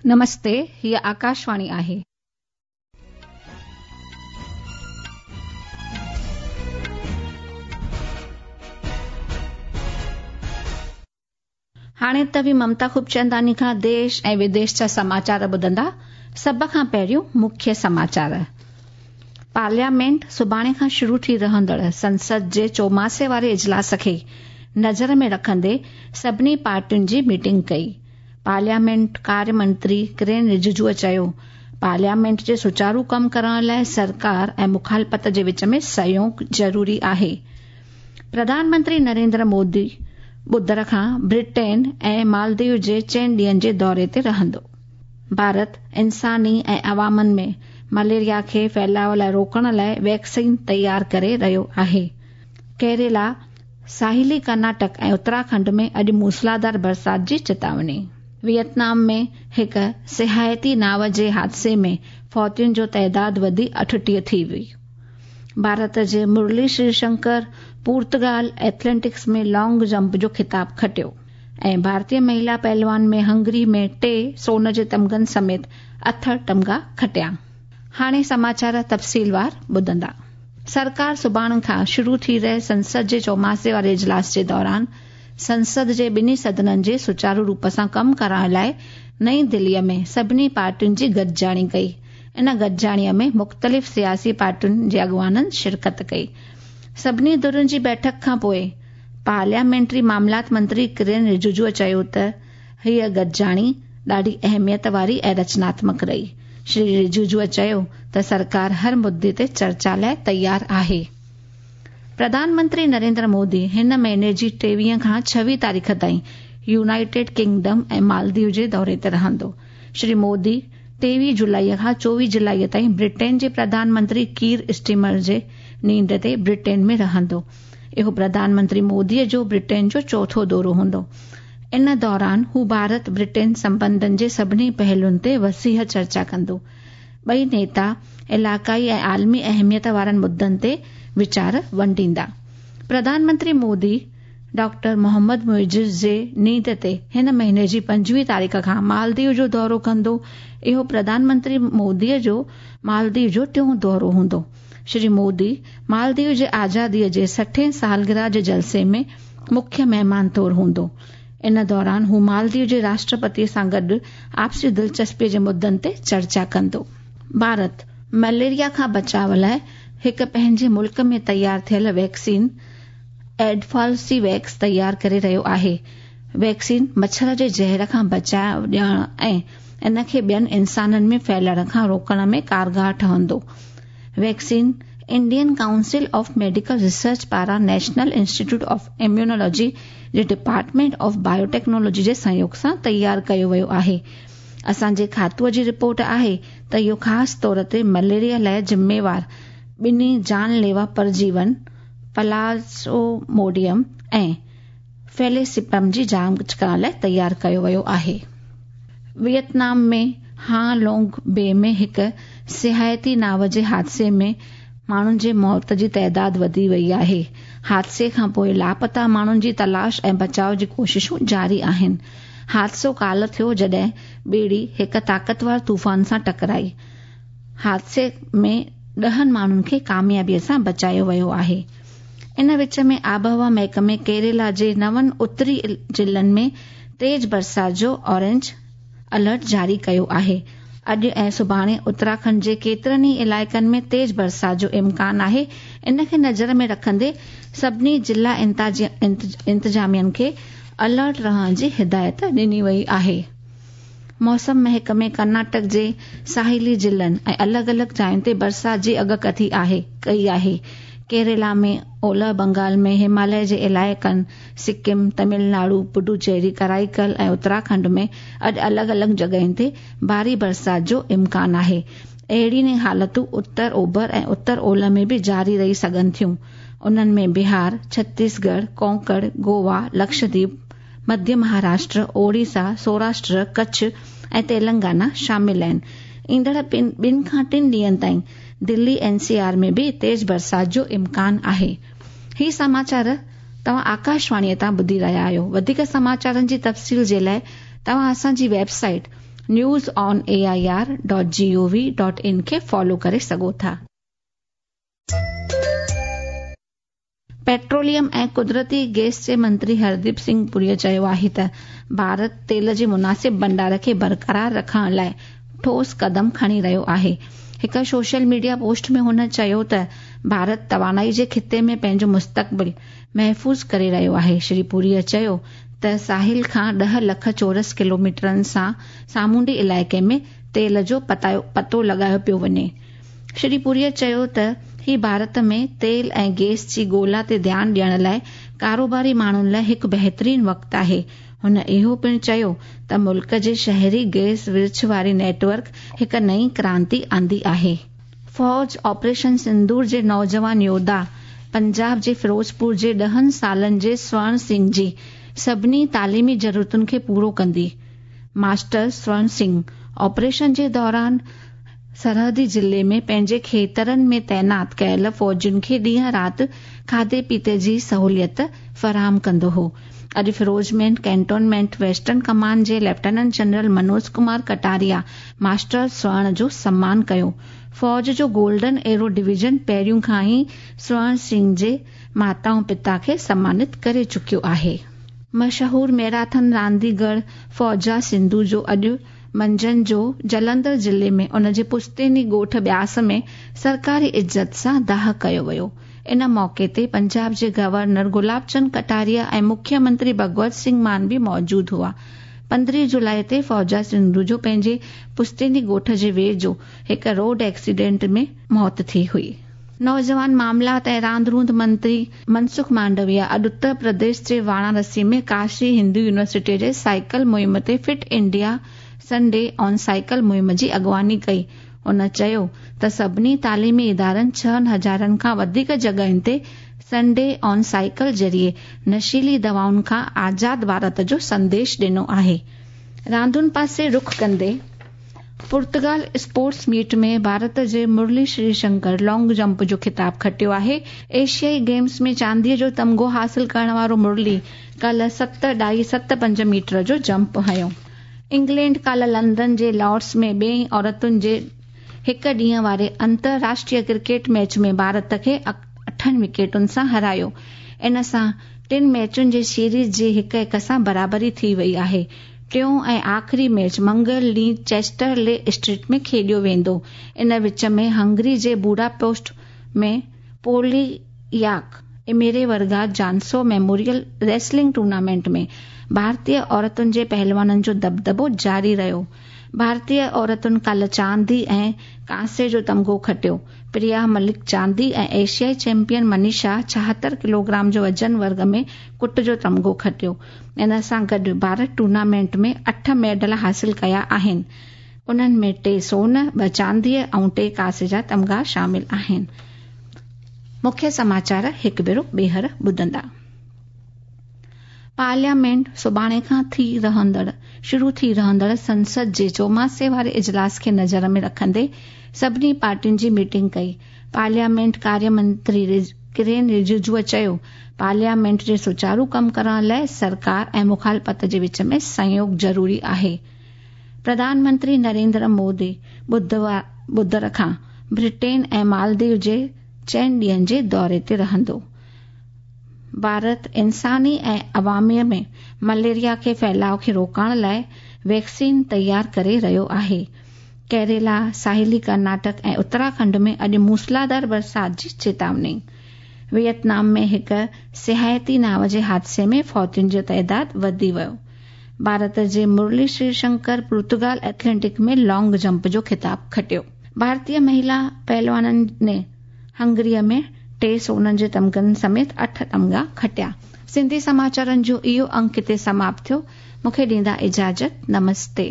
نمستي، هيء آڪاشواڻي آهي. هاڻي توهين ممتا خوبچنداڻي کان ديش ۽ وديش جا سماچار ٻڌندا. سڀ کان پهريون مکيه سماچار. پارليامينٽ سڀاڻي کان شروع ٿي رهندڙ سنسد جي چوماسي واري اجلاس کي نظر ۾ رکندي سڀني پارٽين جي ميٽنگ ڪئي. پارليامينٽ ڪاري منتري ڪرين رججوء چيو، پارليامينٽ جي سچارو ڪم ڪرڻ لاء سرڪار ۽ مخالفت جي وچ ۾ سهيوگ ضروري آهي. پرڌان منتري نريندر مودي ٻڌر کان برٽين ۽ مالديو جي چئن ڏينهن جي دوري تي رهندو. ڀارت انساني ۽ عوامن ۾ مليريا کي ڦهلاء لاء روڪڻ لاء ويڪسين تيار ڪري رهيو آهي. ڪيريلا، ساحلي ڪرناٽڪ ۽ اتراکنڊ ۾ اڄ موسلاڌار برسات جي چتاوني. ويٽنام ۾ هڪ سياحتي ناو جي حادثي ۾ فوتين جو تعداد وڌي 38 ٿي ويو. ڀارت جي Murali Sreeshankar Portugal athletics ۾ long jump جو خطاب کٽيو ۽ ڀارتي مهلا پهلوان ۾ هنگري ۾ ٽي سون جي تمغن سميت اٺ تمغا کٽيا. هاڻي سماچار تفصيلوار ٻڌندا. سرڪار سڀاڻي کان شروع ٿي رهي سنسد جي چوماسي واري اجلاس جي دوران سنسد جي ٻنهي سدنن جي سچارو روپ سان ڪم ڪرائڻ لاء نئين دليء ۾ سڀني پارٽين جي گڏجاڻي ڪئي. ان گڏجاڻيء ۾ مختلف سياسي پارٽين جي اڳواڻن شرڪت ڪئي. سڀني ڌرين جي بيٺڪ کان پوء پارليامينٽري معاملات منتري ڪرين رججوء چيو ته هيء گڏجاڻي ڏاڍي اهميت واري ۽ رچناتمڪ رهي. شري رججوء چيو ته سرڪار هر مدي تي چرچا لاء تيار آهي. پرڌان منتري نريندر مودي هن مهيني جي 23 کان 26 تاريخ تائين يونائيٽيڊ ڪنگڊم ۽ مالديو جي دوري تي رهندو. شري مودي 23 جولائي کان 24 جولائي تائين برٽين جي پرڌان منتري ڪير اسٽيمر جي نينڍ تي برٽين ۾ رهندو. اهو پرڌان منتري موديء جو برٽين جو چوٿون دورو هوندو. ان دوران هو ڀارت برٽين سنٻنڌن جي سڀني پهلوئن تي وسيع چرچا ڪندو. ٻئي نيتا علائقائي ۽ عالمي اهميت وارن مدن تي ويچار ونڊيندا. پرڌان منتري مودي ڊاڪٽر محمد معيز جي نينڍ تي هن مهيني جي 25 تاريخ کان مالديو جو دورو ڪندو. اهو پرڌان منتري موديء جو مالديو جو ٽيون دورو هوندو. شري مودي مالديو جي آزاديء جي 60 سالگرهه جي جلسي ۾ مکيه مهمان طور هوندو. ان دوران هو مالديو جي راشٽرپتي سان گڏ آپسي دلچسپيء جي مدن تي چرچا ڪندو. ڀارت مليريا کان بچاء لاء هڪ پنهنجي ملڪ ۾ تيار ٿيل ويڪسين ايڊفالسي ويڪس تيار ڪري رهيو آهي. ويڪسين مڇر جي زهر کان بچاء ڏيڻ ۽ ان کي ٻين انسانن ۾ ڦهلڻ کان روڪڻ ۾ ڪارگر ٺهندو. Vaccine Indian council of medical research پاران نيشنل انسٽيٽيوٽ آف اميونالاجي جي ڊپارٽمينٽ آف بايوٽيڪنالاجي جي سهيوگ سان تيار ڪيو ويو آهي. اسان جي کاتوء جي رپورٽ آهي ته اهو خاص طور تي مليريا لاء ذميوار ٻنهي جان ليوا پرجيون پلازموڊيم ۽ فيليسيپرم جي جاچ ڪرڻ لاء تيار ڪيو ويو آهي. ويٽنام ۾ هان لونگ بي ۾ هڪ سياحتي ناو جي حادثي ۾ ماڻهن جي موت جي تعداد وڌي وئي آهي. حادثي کان پوء لاپتا ماڻهن جي تلاش ۽ بچاء جي ڪوششون جاري آهن. حادثو ڪالهه ٿيو جڏهن ٻيڙي هڪ طاقتور طوفان سان ٽڪرائي. حادثي ۾ 10 ماڻهن کي ڪاميابيء سان بچايو ويو آهي. ان وچ ۾ آبهوا محڪمي ڪيريلا جي نون اتري ضلعن ۾ تيز برسات جو اورينج الرٽ جاري ڪيو آهي. اڄ ۽ سڀاڻي اتراکنڊ جي ڪيترن ئي علائقن ۾ تيز برسات جو امڪان آهي. ان کي نظر ۾ رکندي سڀني ضلع انتظامين کي الرٽ رهڻ جي هدايت ڏني وئي آهي. موسم محڪمي ڪرناٽڪ جي ساحلي ضلعن ۽ الڳ الڳ جاين تي برسات جي اڳڪٿي آهي ڪئي آهي. ڪيريلا ۾ اولهه بنگال ۾ هماليه جي علائقن سڪم، تامل ناڊو، پڊوچيري، ڪرائيڪل ۽ اتراکنڊ ۾ اڄ الڳ الڳ جڳهين تي ڀاري برسات جو امڪان آهي. اهڙين ئي حالتون اتر اوڀر ۽ اتر اولهه ۾ به جاري رهي سگهن ٿيون. انهن ۾ بهار، ڇتيسڳڙهه، ڪونڪڻ، گوا، لڪشديپ، مڌيه مهاراشٽر، اوڙيسا، سوراشٽر، ڪڇ ۽ تيلنگانا شامل آهن. ايندڙ ٻن کان ٽن ڏينهن تائين دلي اين سي آر ۾ به تيز برسات جو امڪان آهي. هي سماچار توهان آڪاشواڻيء تان ٻڌي رهيا آهيو. وڌيڪ سماچارن جي تفصيل جي لاء توهان اسان جي web site News on A I R dot G O V dot in کي فالو ڪري سگهو ٿا. پيٽروليم ۽ قدرتي گئس جي منتري هرديپ سنگهه پوريء چيو آهي ته ڀارت تيل جي مناسب ڀنڊار کي برقرار رکڻ لاء ٺوس قدم کڻي رهيو آهي. هڪ سوشل ميڊيا پوسٽ ۾ هن چيو ته ڀارت توانائي جي خطي ۾ پنهنجو مستقبل محفوظ ڪري رهيو آهي. شري پوريء چيو ته ساحل کان 10 لک چورس ڪلوميٽرن سان سامونڊي علائقي ۾ تيل جو پتو لڳايو پيو وڃي. شري پوريء چيو ته هي ڀارت ۾ تيل ۽ گئس جي ڳولا تي ڌيان ڏيڻ لاء ڪاروباري ماڻهن لاء هڪ بهترين وقت آهي. هن اهو پڻ چيو ته ملڪ جي شهري گئس ورڇ واري نيٽ ورڪ هڪ نئين ڪرانتي آندي آهي. فوج آپريشن سندور جي نوجوان يوڌا پنجاب جي فيروزپور جي 10 سالن جي سورڻ سنگهه جي سڀني تعليمي ضرورتن کي پورو ڪندي. ماسٽر سورڻ سنگهه آپريشن جي دوران سرحدي ضلعي ۾ پنهنجي کيترن ۾ تعينات ڪيل فوجين کي ڏينهن رات کاڌي پيتي جي سهوليت فراهم ڪندو هو. اڄ فيروزمينٽ ڪينٽونمينٽ ويسٽرن ڪمان جي lieutenant general Manoj Kumar Kataria master Swarn جو سمان ڪيو. فوج جو گولڊن ايرو ڊويزن پهريون کان ئي سورڻ سنگهه جي ماتا ۽ پتا کي سمانت ڪري چڪيو آهي. مشهور ميراٿن رانديگر فوجا سنڌو جو اڄ منجهند جو جلنڌر ضلعي ۾ ان جي پشتيني ڳوٺ بياس ۾ سرڪاري عزت سان داهه ڪيو ويو. ان موقعي تي پنجاب جي گورنر گلاب چند ڪٽاريا ۽ مکيه منتري ڀڳونت سنگهه مان به موجود هئا. 15 جولاء تي فوجا سنڌو جو پنهنجي پشتيني ڳوٺ جي ويجهو هڪ روڊ ايڪسيڊنٽ ۾ موت ٿي هئي. نوجوان معاملات ۽ راند روند منتري منسک مانڊويا اڄ اتر پرديش جي واراڻسي ۾ ڪاشي هندو يونيورسٽي جي سائيڪل مهم تي fit India Sunday on cycle مهم جي اڳواڻي ڪئي. هن چيو ته سڀني تعليمي ادارن 6000 کان وڌيڪ جڳهين تي سنڊي آن سائيڪل ذريعي نشيلي دوائن کان آزاد ڀارت جو سنديش ڏنو آهي. راندن پاسي رخ ڪندي پرتگال اسپورٽس ميٽ ۾ ڀارت جي مرلي شري شنڪر لانگ جمپ جو خطاب کٽيو آهي. ايشيائي گيمز ۾ چانديء جو تمغو حاصل ڪرڻ وارو مرلي ڪالهه 7.75 ميٽر جو جمپ هنيو. انگلينڊ ڪالهه لنڊن جي لارڊز ۾ ٻئي عورتن جي هڪ ڏينهن واري انترراشٽريه ڪرڪيٽ ميچ ۾ ڀارت کي 8 وڪيٽن سان هارايو. ان سان ٽن ميچن جي سيريز جي 1-1 سان برابري ٿي وئي آهي. ٽيون ۽ آخري ميچ منگل ڏينهن چيسٽر لي اسٽريٽ ۾ کيڏيو ويندو. ان وچ ۾ هنگري جي بوڊاپيسٽ ۾ پولياڪ اميري ورگا جانسو ميموريل ريسلنگ ٽورنامينٽ ۾ ڀارتي عورتن جي پهلوانن جو دٻدٻو جاري رهيو. ڀارتي عورتن ڪالهه چاندي ۽ ڪانسي جو تمغو کٽيو. پريا ملڪ چاندي ۽ ايشيائي چيمپيئن منيشا 76 ڪلوگرام جو وزن ورگ ۾ ڪٽ جو تمغو کٽيو. ان سان گڏ ڀارت ٽورنامينٽ ۾ 8 ميڊل حاصل ڪيا آهن. انهن ۾ 3 سون، 2 چانديء ۽ 3 ڪانسي جا تمغا شامل آهن. مکيه سماچار هڪ ڀيرو ٻيهر ٻڌندا. پارليامينٽ سڀاڻي کان ٿي رهندڙ شروع ٿي رهندڙ سنسد جي چوماسي واري اجلاس کي نظر ۾ رکندي سڀني پارٽين جي ميٽنگ ڪئي. پارليامينٽ ڪاريه منتري ڪرين رجيجوء چيو، پارليامينٽ جي سچارو ڪم ڪرڻ لاء سرڪار ۽ مخالفت جي وچ ۾ سهيوگ ضروري آهي. پرڌان منتري نريندر مودي ٻڌر کان برٽين ۽ مالديو جي 4 ڏينهن جي دوري تي رهندو. ڀارت انساني ۽ عوامي ۾ مليريا کي ڦهلاءُ کي روڪڻ لاءِ ويڪسين تيار ڪري رهيو آهي. ڪيرالا، ساحلي ڪرناٽڪ ۽ اتراکنڊ ۾ اڄ موسلاڌار برسات جي چيتاوني. ويٽنام ۾ هڪ سياحتي ناو جي حادثي ۾ فوتين جو تعداد وڌي ويو. ڀارت جي Murali Sri Shankar Portugal athletic ۾ long jump جو خطاب کٽيو. ڀارتي مهلا پهلوانن ني هنگريء ۾ 3 سونن جي تمغن سميت 8 تمغا کٽيا. سنڌي سماچارن جو اهو انڪ هتي سماپت ٿيو. مون کي ڏيندا اجازت. نمستي.